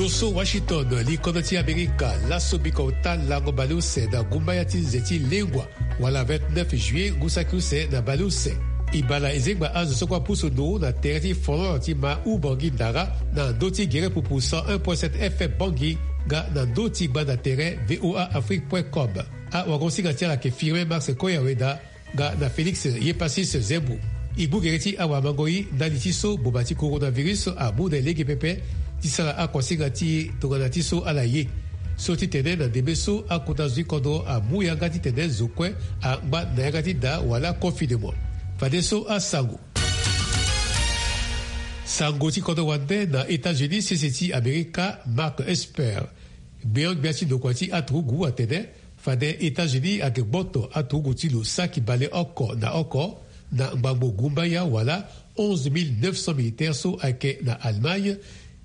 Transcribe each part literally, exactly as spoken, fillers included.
So Washington, likonda ti Amerika, laso biko ota lango baleuse na gumbaya ti nze ti lengua, wala vingt-neuf juillet ngu saki use na baleuse. E bala e zengba azo so kue apusu ndo na tere ti folon ti ma Ubangi Ndara, na ndö ti gere pupu cent un point sept F M Bangui, nga na ndö ti gbanda tere V O A Afrique point com. Awagosinga ti ala ayeke Firmin Max Koyaweda, nga na Félix Yepasis Zembo. E gbu gere ti awamango-i ndali ti so boma ti coronavirus amu na e lege pepe, ti sara akuasinga ti tongana ti so ala ye. So ti tene na ndembe so akota zo ti kodro amu yanga ti tene zo kue angba na yanga ti da wala confinement. Fadeso asango. Sango ti kodro wande na États-Unis, sese ti Amerika, Mark Esper, gbeon-gbia ti ndokua ti aturugu atene, fade États-Unis ayeke gboto aturugu ti lo saki baleoko na oko, na ngbangbo gumbaya wala onze mille neuf cents militaires so ayeke na Allemagne,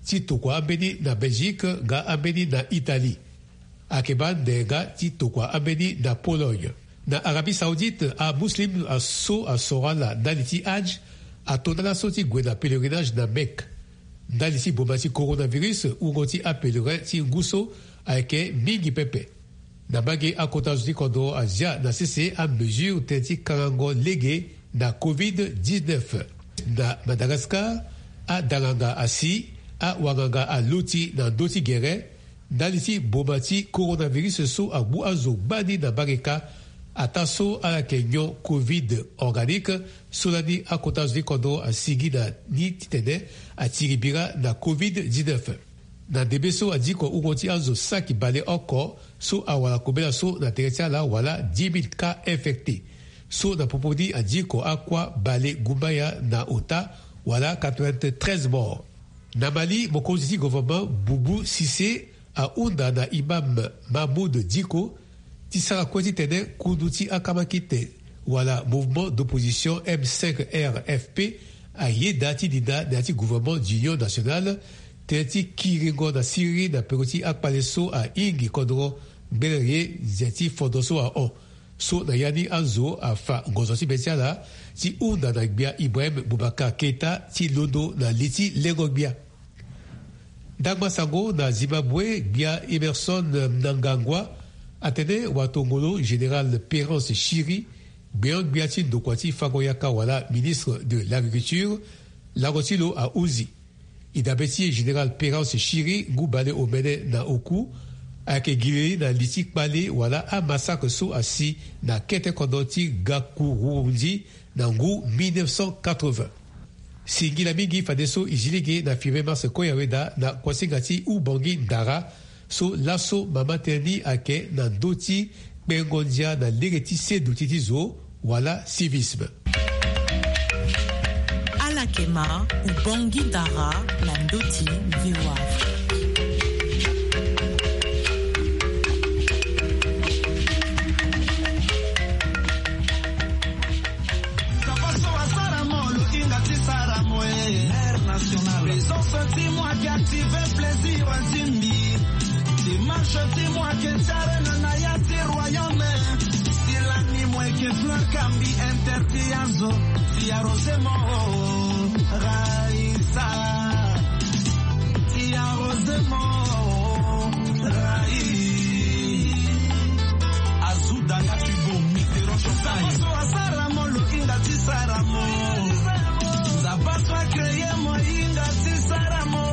ti tokua ambeni na Belgique nga ambeni na Italie. Ayeke baa nde nga ti tokua ambeni na Pologne. Na Arabie Saoudite, amuslim so asoro ala ndali ti Hajj ato na laso ti gue na pèlerinage na Mecque. Ndali ti boma ti coronavirus, wungo ti apèlerin ti ngu so ayeke mingi pepe. Na mbage, akota zo ti kodro azia na sese amesure tënë ti kangango lege na covid dix-neuf. Na Madagascar, adanganga asi, awanganga aloti na ndö ti gere, ndali ti boma ti coronavirus so agbu azo gbani na mbage kâ, ataa so ala yeke nyon covid organique, so lani akota zo ti kodro asigi na ni titene atiri bira na covid dix-neuf. Na ndembe so adiko wungo ti azo saki baleoko so awara kobela so na tere ti ala wala dix mille cas infectés. So na popo ni adiko akua bale gumbaya na ota wala quatre-vingt-treize morts. Na Mali, mokonzi ti gouvernement Boubou Cissé ahunda na imam Mahmoud Dicko ti sara kue titene kundu ti akamakite wala mouvement d'opposition M cinq R F P ayeda ti dinda na ya ti gouvernement d'union nationale, tënë ti kiringo na siriri na peko ti akpale so ahingi kodro ngbene ye nze ti fondo so ahon. So na ya ni azo afa ngonzo ti be ti ala ti hunda na gbia Ibrahim Boubacar Keita ti londo na li ti lengo-gbia. Ndangba sango na Zimbabwe, gbia Emmerson Mnangagwa atene watongolo général Perence Shiri, gbeon-gbia ti ndokua ti fango yaka wala ministre de l'agriculture, lango ti lo ahuzi. E dabe ti général Perence Shiri, ngu bale omene na oku, ayeke gi leli na li ti kpale wala amassacre so asi na kete kodro ti Gakurundi na ngu mille neuf cent quatre-vingts. Singila mingi fadeso e zi lege na Firmin Mars Koyaweda na kuasinga ti Ubangi Ndara, so laso mama tënë ni ayeke na ndö ti kpengo ndia na lege ti seduti ti zo wala civisme. Ala yeke ma Ubangi Ndara na ndö ti V O A. Papa so asara mo, lo hinga ti sara mo e. Mère nationale. Présence ti mo ayeke active plaisir ti mbi. Démarche ti mo ayeke ti arena na ya ti royaume. Si lani mo yeke fleur kambi, interdit azo ti arrosé mo. Raïssa. Ti arrosé mo. Raïssa. Azuda nga ti bo mi te rocho kai. Nzapa so asara mo, lo hinga ti sara mo. Nzapa so acréé mo, hinga ti sara mo.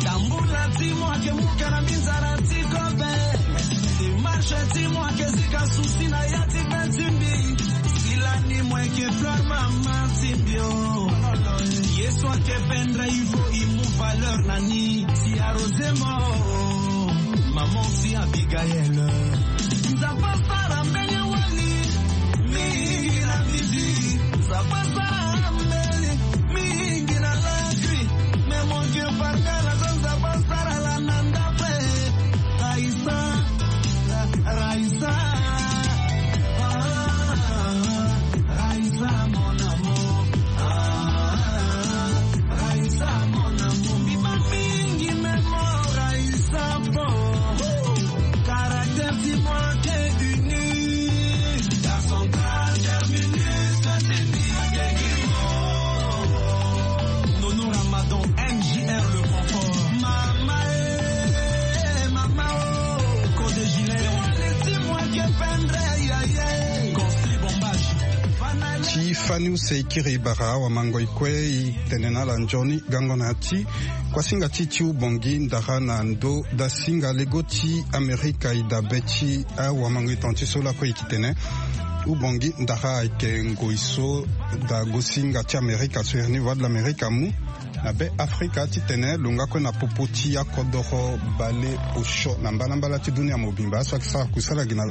Tambula ti mo ayeke muka na mbi nzara ti kobe. Démarche ti mo ayeke zika souci na ya ti be ti mbi. Si lani mo yeke fleur mama ti mbi o. Ye so ayeke pendre il faut e mu valeur na ni. Ti arrosé mo. Maman si Abigaël. Nzapa sara mbeni wali mingi na midi. Nzapa sara mbeni mingi na lakui. Mais mon Dieu pardonne la zone, Nzapa sara la na ndape. Raïssa, Raïssa. Ah, Raïssa, mon amour. Ah, Raïssa, mon amour. Mbi baa mingi, mais mon Raïssa, bon. Caractère ti mo ayeke unique. Garçon, caractère unique, c'est unique. Fani use, i kiri bara awamango i kue i tene na ala nzoni gango na ya ti kuasinga ti ti ubongi ndara na ndo dasinga lego ti Amerika i dabe ti awamango i tonga ti so lakue i ki tene ubongi ndara ayeke ngoi so dagosinga ti Amerika so iri ni Voix de l'Amérique amu na be Afrika titene lo nga kue na popo ti akodoro bale osio na mbalambala ti dunia mobimba. Aso ayeke sara kusala gi na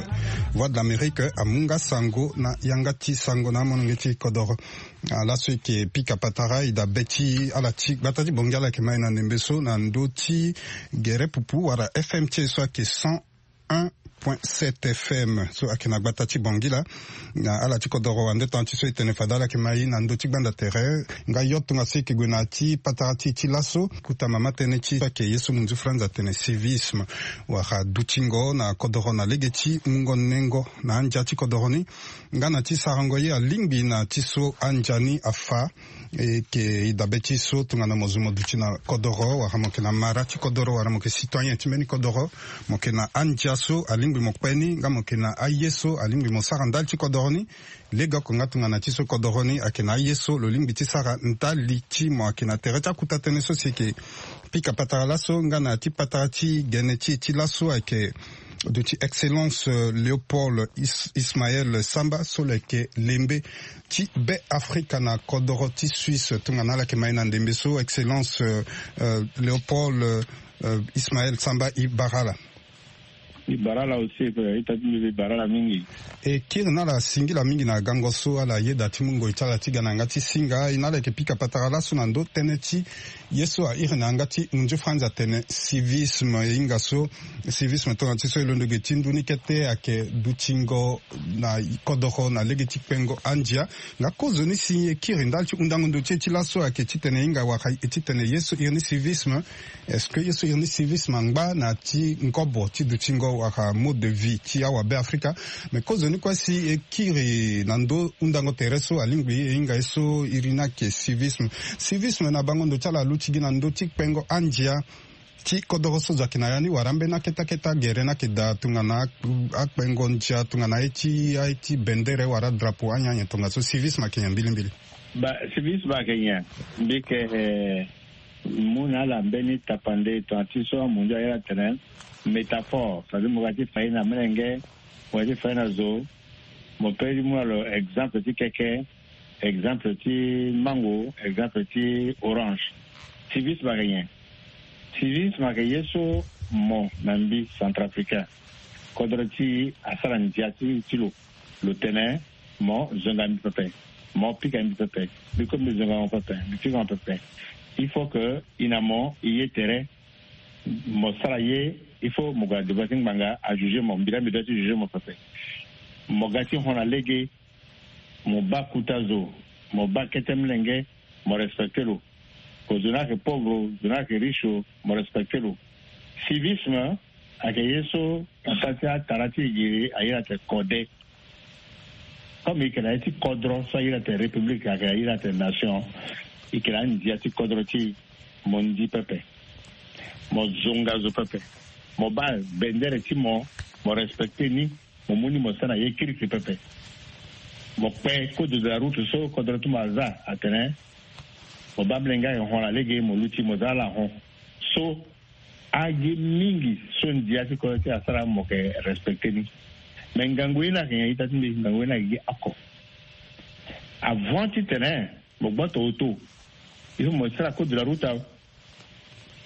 Voix de l'Amérique amu nga sango na yanga ti sango na amolenge ti kodoro. Ah, laso e yeke pika patara e dabe ti ala ti gbata ti bongi ala yeke ma e na ndembe so na ndö ti gere pupu wala F M ti e so ayeke cent un point sept F M so ayeke na gbata ti bongi la. Na ala ti kodoro wande tanga ti so e tene fade ala yeke ma e na ndö ti gbanda tere nga yo tongaso e yeke gue na ya ti patara ti e ti laso. Kota mama tënë ti so ayeke ye so munzu franz atene civisme wala dutingo na kodoro na lege ti mungo nengo na andia ti kodoro ni. Nga na ti sarango ye alingbi na ti so andia ni afa. E yeke e dabe ti so tongana mo zo mo duti na kodoro wala mo yeke na mara ti kodoro wala mo yeke citoyen ti mbeni kodoro, mo yeke na andia so alingbi mo kpe ni nga mo yeke na aye so alingbi mo sara ndali ti kodoro ni. Lege oko nga tongana ti so kodoro ni ayeke na aye so lo lingbi ti sara ndali ti mo ayeke na tere ti akuta tënë so si yeke pika patara laso nga na ya ti patara ti gene ti e ti laso ayeke duti Excellence, euh, Léopold Is- Ismaël Samba so lo yeke lembe ti be Afrika na kodoro ti Suisse. Tongana ala yeke ma e na ndembe so Excellence, euh, euh, Léopold, euh, euh, Ismaël Samba, i bara ala. I bara ala aussi, pe i ta ti mbi, i bara ala mingi. E kiri na ala singila mingi na gango so ala yeda ti mu ngoi ti ala ti ga na yanga ti singa. E na ala yeke pika patara laso na ndö tënë ti ye so airi na yanga ti munzu franz atene civisme. E hinga so civisme tongana ti so e londo ge ti ndu ni kete ayeke dutingo na kodoro na lege ti kpengo andia. Nga kozoni si e kiri ndali ti hundango ndo ti e ti laso ayeke titene e hinga wala e titene ye so iri ni civisme. Est-ce que ye so iri ni civisme angba na ya ti ngobo ti dutingo wala mode de vie ti awabe Afrika? Mais kozoni kue si e kiri na ndö hundango tere so alingbi e hinga ye so iri ni ayeke civisme. Civisme na bango ndo ti ala aluti gi na ndö ti kpengo andia ti kodoro so zo ayeke na ya ni wala ambeni akete akete agere ni ayeke daa tongana akpengo ndia tongana aye ti aye ti bendere wala drapeau anyen anyen tongaso civisme ayeke nyen mbilimbili? Ba civisme ayeke nyen? Mbi yeke, eh, mu na ala mbeni tapande tongana ti so amunzu aye ala tene métaphore, c'est-à-dire mo ga ti fa ye na melenge, mo ga ti fa ye na zo, mo peut ti mu na lo exemple ti keke, exemple ti mango, exemple ti orange. Civisme ayeke nyen? Civisme ayeke ye so mo na mbi centrafricain, kodro ti e asara ndia ti, ti lo. Lo tene mo zonga mbi pepe, mo pika mbi pepe, mbi kue mbi zonga mo pepe, mbi pika mo pepe. Il faut que e na mo e ye tere, mo sara ye, il faut mo gue na devant ti ngbanga ajuger mo, mbi laa mbi doit ti juger mo pepe. Mo ga ti hon na lege, mo baa kota zo, mo baa kete molenge, mo respecter lo. Ko zo ni ayeke pauvre, zo ni ayeke riche, mo respecter lo. Civisme ayeke ye so na sara ti atara ti e giri aye atene kode. Comme e yeke na ye ti kodro so aye atene république, ayeke na ye atene nation, e yeke na andia ti kodro ti e. Mo ndi pepe, mo zonga zo pepe, mo baa bendere ti mo, mo respecter ni. Mo mu ni mo sara na ye kirikiri pepe. Mo kpe code de la route so kodro ti mo aza atene mo baa molenge ayeke hon na lege, mo luti mo za ala hon. So agi mingi so ndia ti kodro ti e asara mo yeke respecter ni. Mais ngangu ye ni ayeke nyen ita ti mbi? Ngangu ye ni ayeke gi oko. Avant titene mo gboto auto, il faut mo sara code de la route awe.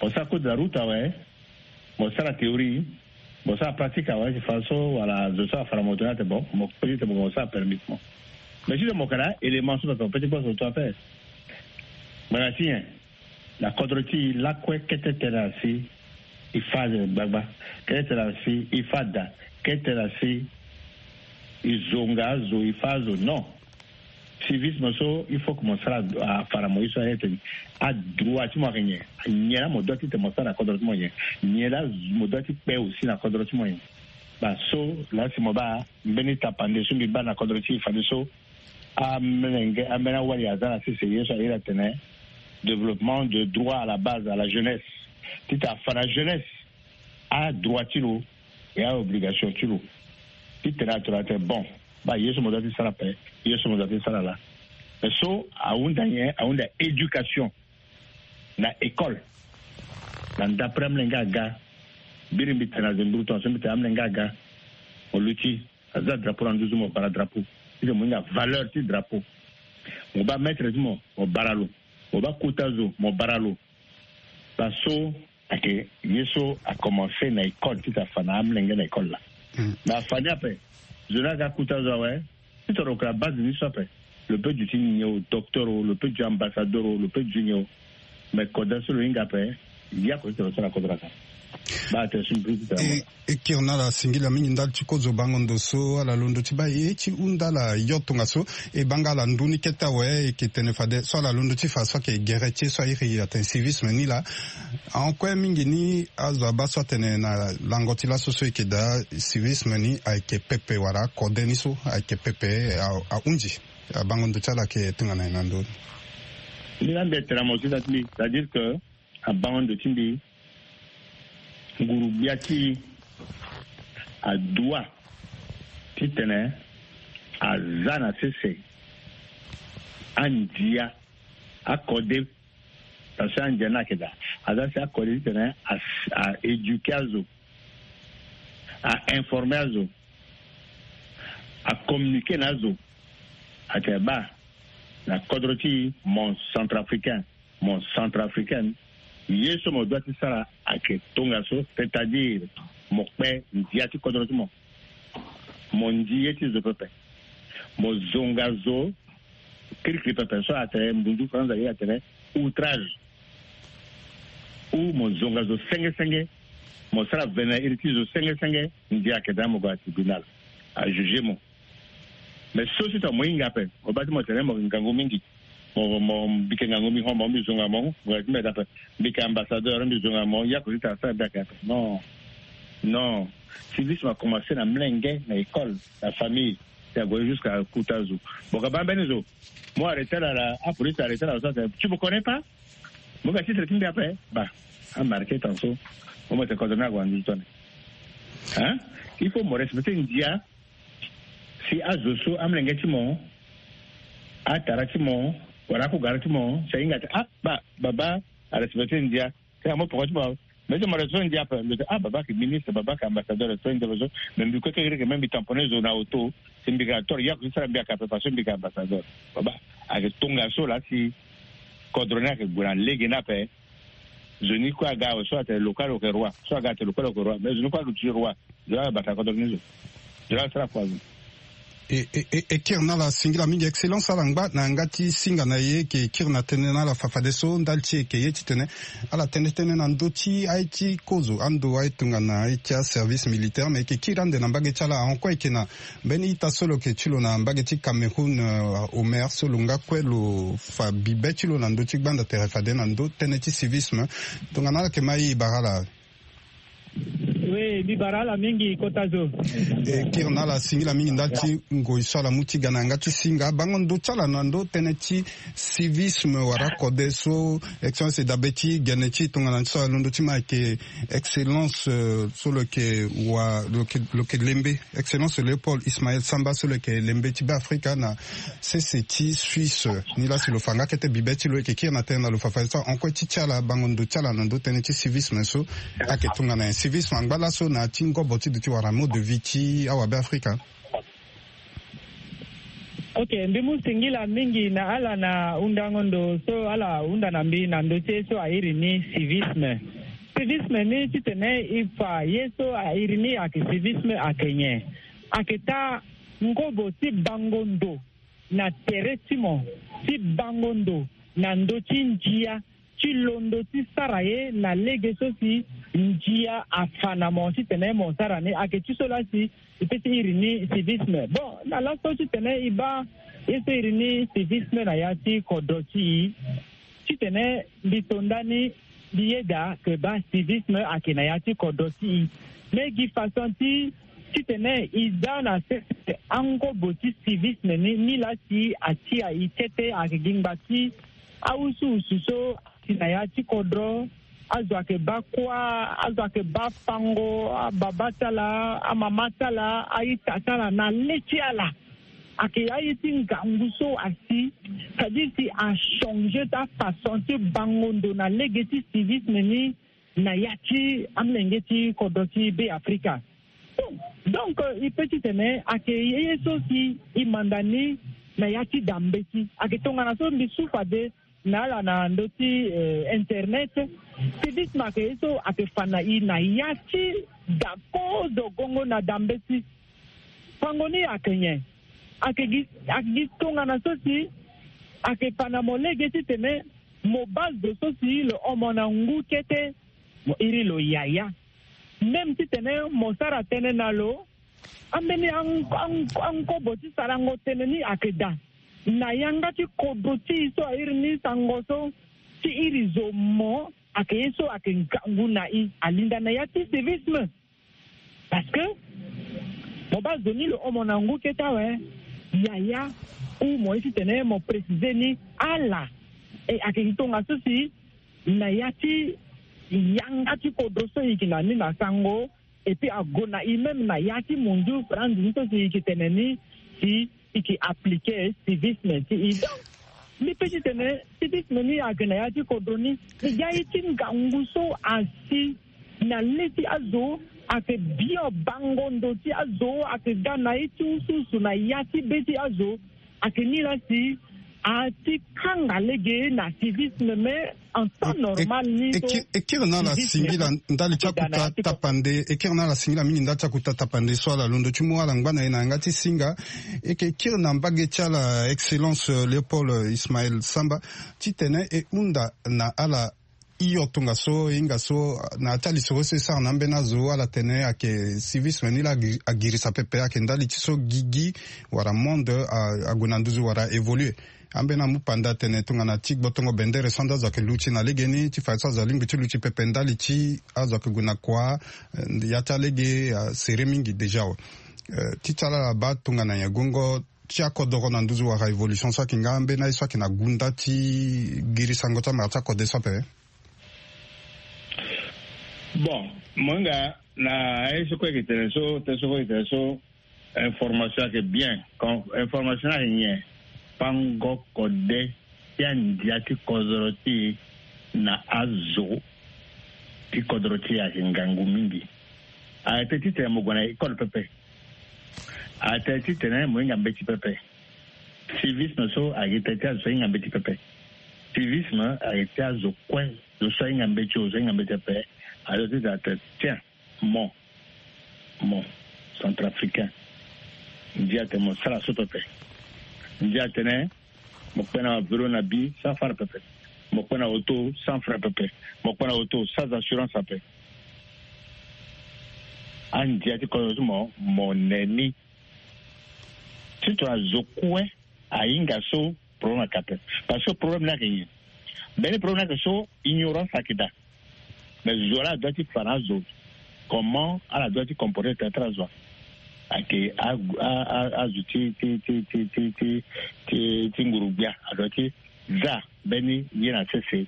Mo sara code de la route awe, mo sara théorie, mo sara pratique awe. Ti fa so wala zo so afa na moto ni atene bon, mo peut ti tene mo sara permis ti mo. Mais titene mo yeke na élément so pepe mo peut ti gboto auto ape. Ngbanga ti nyen? Na kodro ti e lakue kete tene asi e fa azo gbagba, kete tene asi e fa da, kete tene asi e zonga azo, e fa azo. Non. Civisme so il faut que mo sara, afa na mo ye so aye tene adroit ti mo ayeke nyen? Nyen laa mo doit ti tene mo sara na kodro ti mo nyen? Nyen laa mo doit ti kpe aussi na kodro ti mo nyen? Baa so laa si mo baa mbeni tapande so mbi baa na kodro ti e fadeso, amolenge, ambeni awali aza na sese ye so aye atene développement de droit à la base, à la jeunesse. Titene afa na jeunesse adroit ti lo, e aobligation ti lo. Titene atene atene bon, baa ye so mo doit ti sara ape, ye so mo doit ti sara laa. Mais so ahunda nyen? Ahunda éducation na école. Na ndapre amolenge aga, biri mbi tene na zemburu tongaso mbi tene amolenge aga, mo luti, aza drapeau na nduzu, mo bara drapeau. Ti tene mo hinga valeur ti drapeau, mo baa maître ti mo, mo bara lo. Mo baa kota zo, mo bara lo. Baa so ayeke ye so akomanse na école ti tene afa na amolenge na école laa. Mais afa ni ape, zo ni aga kota zo awe. Ti toro ka base ni so ape. Lo peut duti nyen o, docteur o, lo peut duti ambassadeur o, lo peut duti nyen o. Mais kodro so lo hinga ape, ya ko ti toro so na kodro aka. Baa attention plus ti tene. E kiri na ala singila mingi ndali ti kozo bango ndo so ala londo ti baa ye ti hunda ala yo tongaso. E baa nga ala ndu ni kete awe, e yeke tene fade so ala londo ti fa so ayeke gere ti e so airi atene civisme ni laa. Ahon kue mingi ni azo abaa so atene na lango ti laso so e yeke daa civisme ni ayeke pepe wala akode ni so ayeke pepe. A- ahunzi. Abango ndo ti ala ayeke tongana nyen na ndö ni? Mbi na mbi tene na mo ti da ti mbi, c'est-à-dire que abango ndo ti mbi, nguru-gbia ti e adoit ti tene aza na sese andia akode. Parce que andia ni ayeke daa, aza si akode ti tene a- a éduquer azo, a informer azo, a communiquer na azo. Atene baa na kodro ti e, mon centrafricain, mon centrafricaine, ye so mo doit ti sara ayeke tongaso, c'est-à-dire mo kpe ndia ti kodro ti mo, mo ndi ye ti zo pepe, mo zonga zo kirikiri pepe so atene mbunzu faranza ye atene outrage, ou mo zonga zo senge senge, mo sara vene na iri ti zo senge senge, ndia ayeke daa mo gue na tribunal, ajuger mo. Mais so si tongana mo hinga ape, mo baa ti mo tene mo yeke ngangu mingi, mo mo mbi yeke ngangu mbi hon mo mbi zonga mo, mo yeke ti mbeda ape, mbi yeke ambassadeur mbi zonga mo, ya ko ti tara sara mbi ayeke ape. Non, non. Civisme akomanse na mlenge, na école, na famille, ti ague jusqu'à kota zo. Mo ka baa mbeni zo, mo arrêter ala, apolice arrêter ala so atene tu me connais pas? Mo ga titre ti mbi ape. Ba, amarquer tanso. Mo mo tene kodro ni ague na nduzu tone. Hein? Il faut mo respecter ndia. Si azo so amolenge ti mo, atara ti mo, wala akugara ti mo, si ahinga atene ah ba, baba arespecter ndia. Tena mo poko ti mo, mais ti mo respecter ndia ape. Lo tene ah baba ayeke ministre, baba ayeke ambassadeur, respecter ndia ape so. Mais mbi kue keke mbi tamponner zo na auto. Si mbi yeke na tort, ya ko ti sara mbi ayeke ape, parce que mbi yeke ambassadeur. Baba ayeke tongaso laa si kodro ni ayeke gue na lege ni ape. Zo ni kue aga awe, so atene local lo yeke roi, so aga atene local lo yeke roi, mais zo ni kue aluti roi. Zo la bata kodro ni zo. Zo la sara kua zo. E, e, e, e kiri na ala singila mingi, excellence, ala ngba na yanga ti singa na e. E yeke kiri na tënë na ala fafadeso ndali ti e yeke ye titene ala tene tënë na ndö ti aye ti kozo, ando aye tongana aye ti aservice militaire, me e yeke kiri ande na mbage ti ala. Ahon kue e yeke na mbeni ita so lo yeke ti lo na mbage ti Cameroun, euh, Omer, so lo nga kue lo fa bibe ti lo na ndö ti gbanda tere fade na ndö tënë ti civisme. Tongana ala yeke ma e, e bara ala. Oui, mbi bara ala mingi kota zo. E kiri na ala singila mingi ndali ti ngoi so ala mu ti ga na yanga ti singa. Bango ndo ti ala na ndö tënë ti civisme wala kode so excellence e dabe ti gene ti e tongana so alondo ti ma ayeke excellence, euh, so lo yeke wa, lo yeke, lo yeke lembe, excellence Léopold Ismaël Samba, so lo yeke lembe ti Beafrika na sese ti Suisse. Nilaa si lo fa nga kete bibe ti lo, e yeke kiri na tënë na lo fafadeso encore ti ti ala bango ndo ti ala na ndö tënë ti civisme so ayeke tongana nyen? Civisme angba laso na ya ti ngobo ti duti wala mode de vie ti awabeafrika. Ok, mbi mu singila mingi na ala na hundango ndo so ala hunda na mbi na ndö ti ye so a iri ni civisme. Civisme ni titene e fa ye so a iri ni ayeke civisme ayeke nyen? Ayeke taa ngobo ti bango ndo na tere ti mo, ti bango ndo na ndö ti ndia, ti londo ti sara ye na lege so si ndia afa na mo titene mo sara ni. Ayeke ti so laa si e peut ti iri ni civisme. Bon, na laso titene e baa ye so e iri ni civisme na ya ti kodro ti e, titene mbi to ndani mbi yeda ke baa civisme ayeke na ya ti kodro ti e. Me gi façon ti titene e za na sese angobo ti civisme ni, ni laa si atia e kete ayeke gi ngba ti awusuwusu so si na ya ti kodro, azo ayeke baa kuâ, azo ayeke baa fango, ababa ti ala, amama ti ala, a-ita ti ala na le ti ala. ayeke ya ye ti ngangu so asi, c'est-à-dire si achanger ti afaçon ti bango ndo na lege ti civisme ni na ya ti amolenge ti kodro ti Be Afrika. Donc, donc euh, e pe titene ayeke ye ye so si e manda ni na ya ti da mbeti. Ayeke tongana so mbi su fade na ala na ndö ti euh, internet. Civisme ayeke ye so ayeke fa na e na ya ti da kozo gongo na da mbeti. Fango ni ayeke nyen? Ayeke gi, ayeke gi tongana so si ayeke fa na mo lege titene mo baa zo so si lo hon mo na ngu kete, mo iri lo yaya. Même titene mo sara tënë na lo, ambeni an, an, ankobo ti sarango tënë ni ayeke daa. Na yanga ti kodro ti e so airi ni sango so, ti iri zo mo ayeke ye so ayeke ngangu na e, alinda na ya ti civisme. Parce que mo baa zo ni lo hon mo na ngu kete awe, yaya, ou mo ye titene mo préciser ni ala. E ayeke gi tongaso si na ya ti yanga ti kodro so e yeke na ni na sango, et puis ague na e même na ya ti mondiou franzi ni so si e yeke tene ni, si e yeke appliquer civisme ti e. Donc mbi pe titene civisme ni ayeke na ya ti kodro ni. E ga ye ti ngangu so asi na le ti azo, ayeke bio bango ndo ti azo, ayeke ga na ye ti usuusu na ya ti be ti azo. Ayeke ni laa si ati kanga lege na civisme, mais en temps normal ni so e kiri na ala singila ndali ti akuta tapande, e kiri na ala singila mingi ndali ti akuta tapande so ala londo ti mu ala ngba na e na yanga ti singa. E yeke kiri na mbage ti ala, excellence euh, Léopold euh, Ismaël Samba, titene e hunda na ala hio tongaso, e hinga so na ya ti alisoro so e sara na ambeni azo, ala tene ayeke civisme ni laa agi- agirisa pepe, ayeke ndali ti so gigi wala monde a- ague na nduzu wala évoluer. Ambeni amu panda atene tongana ti gbotongo bendere so ande azo ayeke luti na legeni, ti fa so azo alingbi ti luti pepe ndali ti azo ayeke gue na kua, eh, ya ti alege asere mingi déjà awe. Eh, ti ti ala ala baa tongana nyen gongo ti akodoro na nduzu wala évolution so ayeke nga ambeni aye so ayeke na gunda ti giri sango ti amara ti akode so ape? Bon, mo hinga na aye so kue ayeke tene so, tene so kue ayeke tene so, information ayeke bien. Quand information ni ayeke nyen? Pango kode ti andia ti kodoro ti e na azo ti kodoro ti e ayeke ngangu mingi. Arrêté titene mo gue na école pepe. Arrêté titene mo hinga mbeti pepe. Civisme so ayeke tene ti azo so ahinga mbeti pepe. Civisme ayeke ti azo kue, zo so ahinga mbeti o, zo ahinga mbeti pepe. Azo titene atene tiens, mo, mo centrafricain, ndia atene mo sara so pepe. Ndia atene mo kpe na vélo na bi sans frais pepe. Mo kpe na auto sans frais pepe. Mo kpe na auto sans assurance ape. Andia ti kodro ti mo, mo ne ni. Ti tongana zo kue ahinga so, problème ayeke ape. Parce que problème ni ayeke nyen? Mbeni problème ni ayeke so ignorance ayeke daa. Mais zo laa adoit ti fa na azo comment ala doit ti comporter tene ti azo ayeke a- a- a- azo ti ti ti ti ti ti ti ti nguru-gbia adoit ti za mbeni ye na sese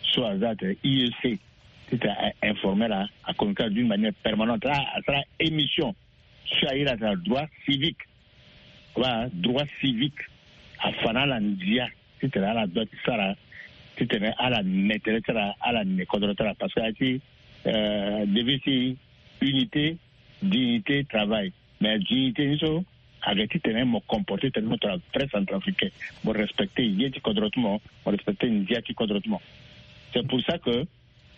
so aza atene I E C titene a informer ala, a communiquer d'une manière permanente. Ala asara émission so airi atene droit civique. Wala droit civique. Afa na ala ndia titene ala doit ti sara titene ala ne tere ti ala, ala ne kodro ti ala, parce que aye ti euh, devise ti unité, dignité, travail. Mais dignité ni so ayeke titene mo comporter tene mo tongana vrai centrafricain, mo respecter ye ti kodro ti mo, mo respecter ndia ti kodro ti mo. C'est pour ça que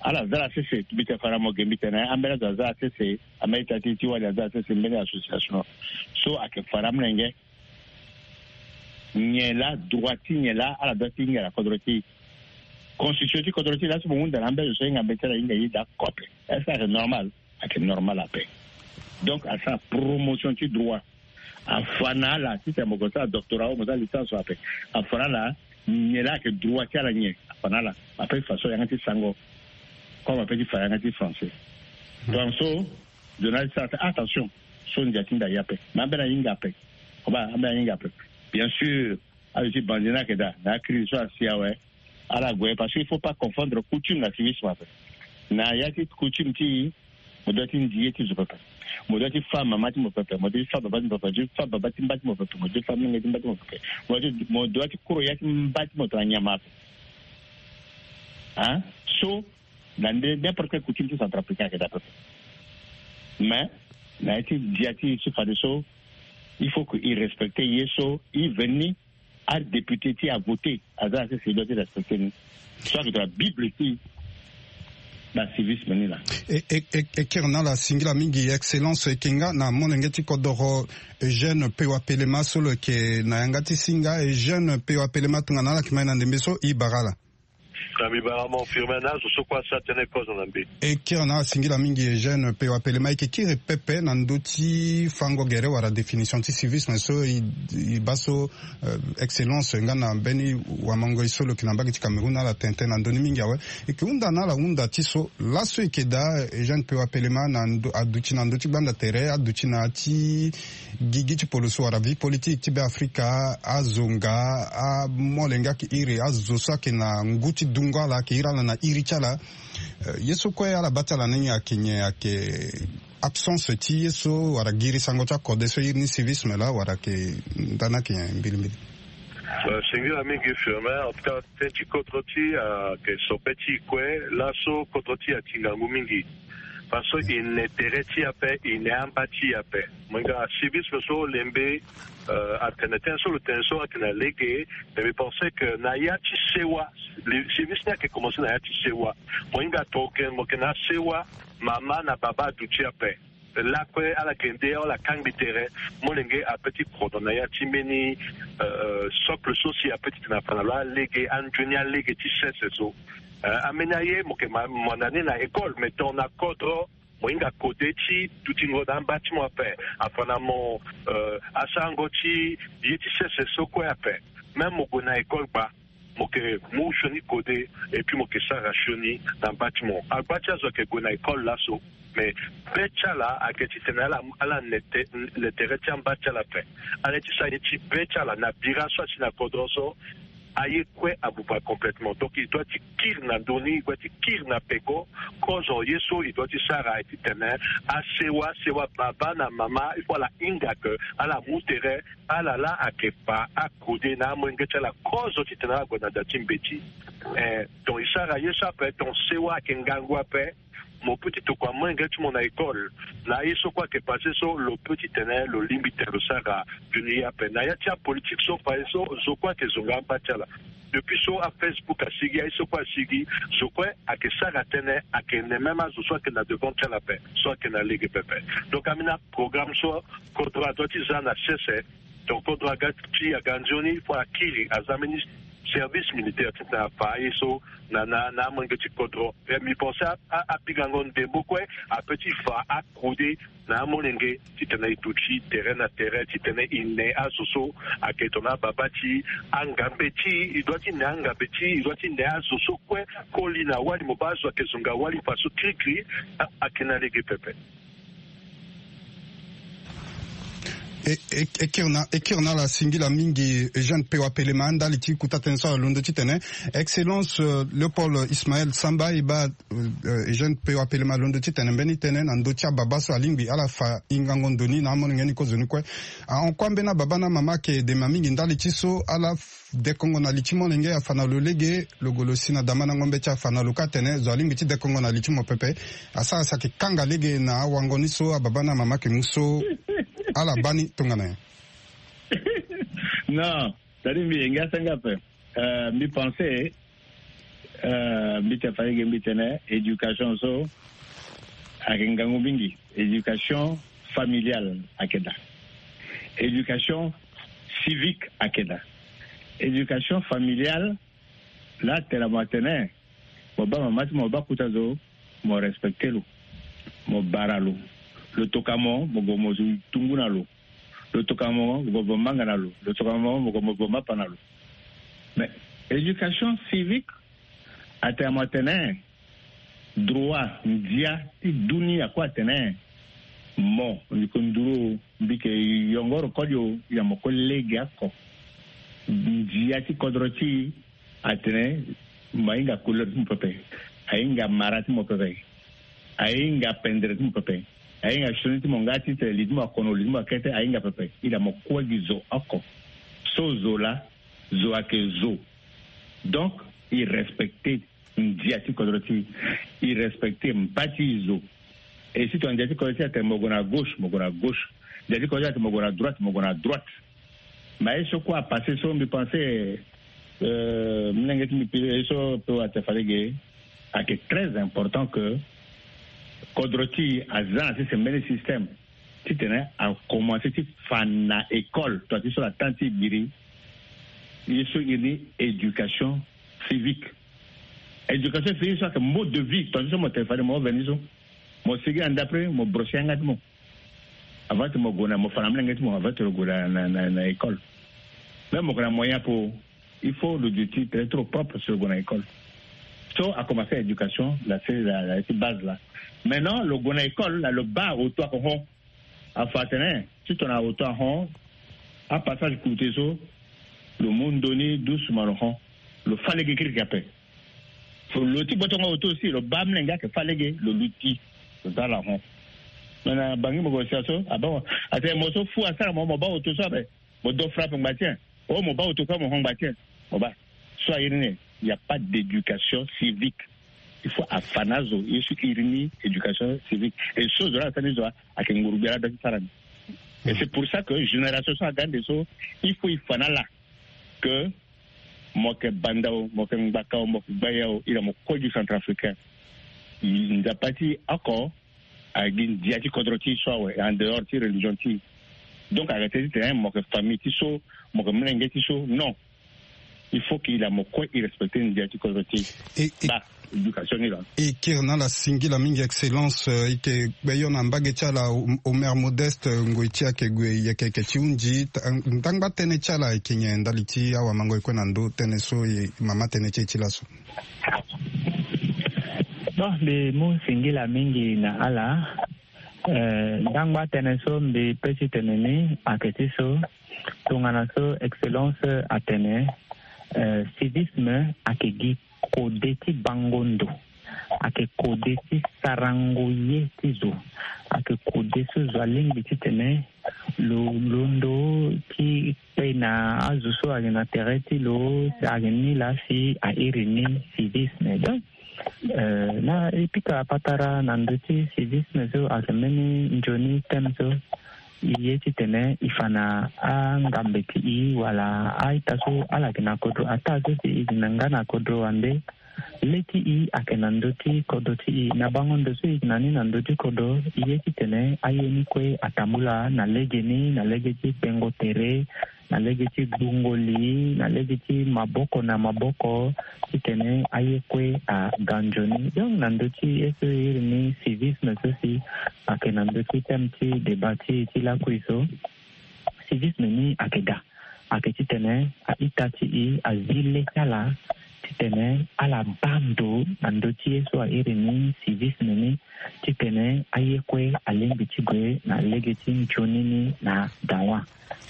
ala za ala sese, mbi tene fara mo ge, mbi tene ambeni azo aza ala sese, ambeni ita ti ti wali aza ala sese, mbeni association so ayeke fara amolenge. Nyen laa droit ti nyen laa ala doit ti hinga na kodro ti e? Constitution ti kodro ti e laa so mo hunda na ambeni azo so ahinga mbeti ala hinga ye daa kote. Est-ce que ayeke normal? Ayeke normal ape. Donc asara promotion ti droit. Afa na ala titene mo gue sara doctorat o, mo sara licence ape. Afa na ala nyen laa ayeke droit ti ala nyen. Afa na ala ape façon yanga ti sango. Comme ape ti fa yanga ti français. Donc so journaliste attention, so ndia ti nda ye ape. Mais ambeni ahinga ape. Koba ambeni ahinga ape. Bien sûr, azo ti bandi ni ayeke daa na acrise so asi awe. Ala gue parce que il faut pas confondre coutume na civisme ape. Na ya ti coutume ti e, mo doit ti ndi ye ti zo pepe. Mo doit ti fa mama ti mo pepe, mo doit ti fa baba ti mo pepe, mo doit ti fa baba ti mba ti mo pepe, mo doit ti fa menge ti mba ti mo pepe, mo doit ti mo doit ti koro ya ti mba ti mo tongana nyama ape. Hein? So na nde n'importe quelle coutume ti centrafricain ayeke daa pepe. Mais na ya ti dia ti e so fadeso il faut que e respecte ye so e veni adéputé ti avoté aza na sese e doit ti respecte ni. So ayeke tongana bible ti bacivisme ni laa. E, e, e, e kiri na ala singila mingi excellence, e yeke nga na molenge ti kodoro Eugène Pewa Pelema so lo yeke na yanga ti singa. Eugène Pewa Pelema, tongana ala yeke ma e na ndembe so, e bara ala. Na mbi bara mo firme na azo so kue asara tënë kozo na mbi. E kiri na ala singila mingi Eugène Pewa Pelema, e yeke kiri pepe na ndö ti fango gere wala définition ti civisme so e, e baa so, euh, excellence nga na mbeni wamangoi so lo yeke na mbage ti Cameroun na ala tene tënë na ndö ni mingi awe. E yeke hunda na ala hunda ti so laso e yeke daa Eugène Pewa Pelema na ndö, aduti na ndö ti gbanda tere, aduti na ya ti gigi ti poloso wala vie politique ti Beafrika, azo nga amolenge ayeke iri azo so ayeke na ngu ti dungo ala, ayeke iri ala na iri ti ala. Euh, ye so kue ala baa ti ala ni ayeke nyen? Ayeke absence ti ye so wala giri sango ti akode so e iri ni civisme laa wala ayeke ndani ayeke nyen mbilimbili? Euh, singila mingi firme. En tout cas, tënë ti kodro ti e ayeke sobe ti e kue. Laso kodro ti e ati ngangu mingi. Parce que e ne tere ti e ape, e ne amba ti e ape. Mo hinga civisme so lembe, euh, atene tënë so lo tene so ayeke na lege. Mais mbi pense que na ya ti sewa, le civisme ni ayeke commence na ya ti sewa. Mo hinga tongana mo yeke na sewa, mama na baba aduti ape. Lakue ala yeke nde ala kangbi tere, molenge apeut ti kodro na ya ti mbeni, euh, socle so si apeut ti tene afa na lo alege, anzoni alege ti sese so. Euh, ambeni aye mo yeke ma, mo na ni na école, mais tongana kodro mo hinga kode ti dutingo na amba ti mo ape, afa na mo, euh, asarango ti ye ti sese so kue ape. Même mo gue na école gba, mo yeke mu sioni kode, et puis mo yeke sara sioni na mba ti mo. Agba ti azo ayeke gue na école laso, mais be ti ala ayeke ti tene ala, ala ne te, ne tere ti amba ti ala ape. Ala ye ti sara ye ti be ti ala na bira so asi na kodro so, aye kue abuba complètement. Donc e doit ti kiri na ndö ni, e doit ti kiri na peko. Kozo ye so e doit ti sara aye ti tene asewa, sewa baba na mama, il faut ala hinga que ala mu tere, ala laa ayeke fa akode na amolenge ti ala kozo ti tene ala gue na da ti mbeti. Eh, donc e sara ye so ape, donc sewa ayeke ngangu ape. Mo peut ti tokua molenge ti mo na école na ye so kue ayeke passé so, lo peut ti tene lo lingbi tene lo sara nzoni ye ape. Na ya ti apolitique so fa ye so, zo kue ayeke zonga amba ti ala. Depuis so aFacebook asigi, aye so kue asigi, zo kue ayeke sara tënë, ayeke ne même azo so ayeke na devant ti ala ape, so ayeke na lege pepe. Donc ambeni aprogramme so kodro adoit ti za na sese. Donc kodro aga ti aga nzoni, il faut akiri, aza mbeni service militaire ti tene afa aye so na, na, na amolenge ti kodro. Eh, mbi pense a, a, apingango ndembo kue apeut ti fa akode na amolenge ti tene e duti tere na tere, ti tene e ne azo so ayeke tongana ababa ti e, angambe ti e, e doit ti ne angambe ti e, e doit ti ne azo so kue koli na wali, mo baa azo ayeke zonga wali faso kirikiri, a, ayeke na lege pepe. E, e, e kiri na, e kiri na ala singila mingi Eugène Pewa Pelema ndali ti kota tënë so ala londo titene Excellence, euh, Léopold Ismaël Samba e baa, euh, Eugène Pewa Pelema alondo titene mbeni tënë na ndö ti ababa so alingbi ala fa hingango ndo ni na amolenge ni kozoni kue. Ahon kue ambeni ababa na amama ayeke dema mingi ndali ti so ala dekongo na li ti molenge, afa na lo lege, lo gue lo si na damandango mbeti, afa na lo kâ atene zo alingbi ti dekongo na li ti mo pepe. Asara si ayeke kanga lege na awango ni so ababa na amama ayeke mu so ala baa ni tongana nyen? Non, c'est-à-dire mbi yenge asango ape. Euh, mbi pense, euh, mbi tene fa lege mbi tene éducation so ayeke ngangu mingi. Éducation familiale ayeke daa. Éducation civique ayeke daa. Éducation familiale, laa tene mo atene mo baa mama ti mo, mo baa kota zo, mo respecte lo, mo bara lo. Lo toka mo, mo gue mo zo tungu na lo. Lo toka mo, mo gue mo vo manga na lo. Lo toka mo, mo gue mo vo mapa na lo. Mais éducation civique atene mo atene droit, ndia ti dunia kue atene mo, mbi ko nduru, mbi yeke yongoro koli o, ya mo ko lege oko. Ndia ti kodro ti e atene mo ahinga couleur ti mo pepe, ahinga mara ti mo pepe, ahinga pendere ti mo pepe. Ahinga sioni ti mo nga ti tene li ti mo akono, li ti mo akete, ahinga pepe. Il a mo kue gi zo oko. So zo laa, zo ayeke zo. Donc, il respecte ndia ti kodro ti, il respecte mba ti zo. Et si tongana ndia ti kodro ti atene mo gue na gauche, mo gue na gauche. Ndia ti kodro ti atene mo gue na droite, mo gue na droite. Mais ye so kue apasse so mbi pense, euh, mlenge ti mbi pire ye so pe wate falege, ayeke très important que kodro ti aza na ti sembeni système titene akomanse ti fa na école, toi ti so la temps ti e biri, ye so iri ni éducation civique. Éducation civique so ayeke mode de vie, toi ti so mo tene fade mo veni so, mo sigi na ndapre mo brosse yanga ti mo. Avant ti mo gue na, mo fa na mlenge ti mo avant ti lo gue na, na, na, na école. Même mo gue na moyen apo, il faut lo duti très trop propre si lo gue na école. So akomanse éducation la, c'est la, la ti base la. Maintenant lo gue na école la, lo baa auto ayeke hon. Afa atene ti tongana auto ahon, apassage coûté so, lo mu ndoni doucement lo hon. Lo fa lege kirikiri ape. Lo ti gbotongo auto aussi, lo baa mlenge ayeke fa lege, lo luti, lo za ala hon. Me na Bangui mo gue sia so, abaa mo, atene mo so fu asara mo, mo baa auto so ape, mo do frappe ngba ti en. Oh, mo baa auto kue mo hon ngba ti en. Mo baa. So airi ni, il n'y a pas d'éducation civique. Il faut afa na azo ye so iri ni éducation civique. Et so zo la asara ni zo la, ayeke nguru gbia la da ti sara ni. Et c'est pour ça que génération so aga ande so, il faut e fa na ala que mo yeke banda o, mo yeke ngbaka o, mo yeke gbaya o, iri na mo kue gi centrafricain. Nzapa ti oko, agi ndia ti kodro ti e so awe, en dehors ti religion ti e. Donc ayeke tene titene mo yeke famille ti so, mo yeke mlenge ti so, non. Il faut que iri na mo kue e respecte ndia ti kodro ti e. E, e, ba éducation ni la. E kiri na ala singila mingi, Excellence, euh, e yeke gbeyo na mbage ti ala, O-, Omer Modeste, euh, ngoi ti e ayeke gue yeke yeke ti hunzi, ta-, ndangba tënë ti ala e yeke nyen ndali ti awamango e kue na ndö tënë so e mama tënë ti e ti laso? Bon, mbi mu singila mingi na ala. Eh, ndangba tënë so mbi pe ti tene ni ayeke ti so, tongana so Excellence atene, eh, civisme ayeke gi kode ti bango ndo, ayeke kode ti sarango ye ti zo, ayeke kode so zo alingbi titene lo londo ti kpe na azo so ayeke na tere ti lo, ayeke ni laa si a iri ni civisme. Donc, eh, na e pika patara na ndö ti civisme so ayeke mbeni nzoni thème so, e ye titene e fa na angambe ti e wala a-ita so ala yeke na kodro ataa so si e yeke na nga na kodro wande. Le ti e ayeke na ndö ti kodro ti e. Na bango ndo so e yeke na ni na ndö ti kodro, e ye titene aye ni kue atambula na legeni, na lege ti kpengo tere, na lege ti gbungo li, na lege ti maboko na maboko, titene aye kue aga nzoni. Donc na ndö ti ye so e iri ni civisme so si ayeke na ndö ti thème ti débat ti e ti lakui so, civisme ni ayeke daa. Ayeke titene a-ita ti e azi le ti ala titene ala baa ndo na ndö ti ye so a iri ni civisme ni, titene aye kue alingbi ti gue na lege ti nzoni ni na dawa.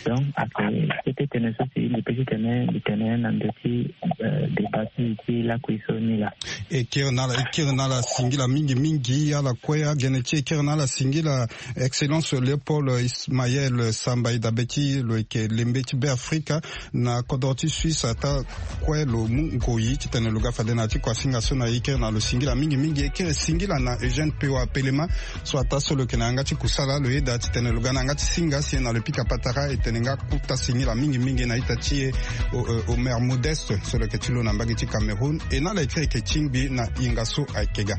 Donc ayeke kete tënë so si mbi pe titene mbi tene na ndö ti, eh, débat ti, ti lakui so ni laa. E kiri na ala, e kiri na ala singila mingi mingi, ala kue agene ti e. E kiri na ala singila Excellence Léopold Ismaël Samba, e dabe ti lo yeke lembe ti Beafrika na kodro ti Suisse, ataa kue lo mu ngoi titene lo ga fade na ya ti kuasinga so na e. E kiri na lo singila mingi mingi. E kiri singila na Eugène Pewa Pelema, so ataa so lo yeke na yanga ti kusala, lo yeda titene lo ga na yanga ti singa si e na lo pika patara. E tene nga kota singila mingi mingi na ita ti e, o, o, Omer Modeste, so lo yeke ti lo na mbage ti Cameroun. E na ala e kiri yeke tingbi na hinga so ayeke ga.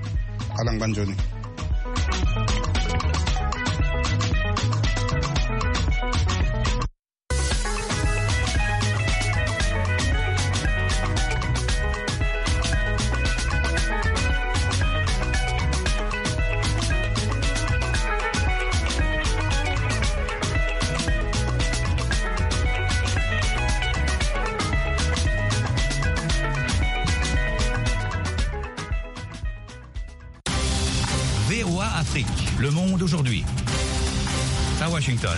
Ala ngba nzoni. V O A Afrique, le monde aujourd'hui. À Washington,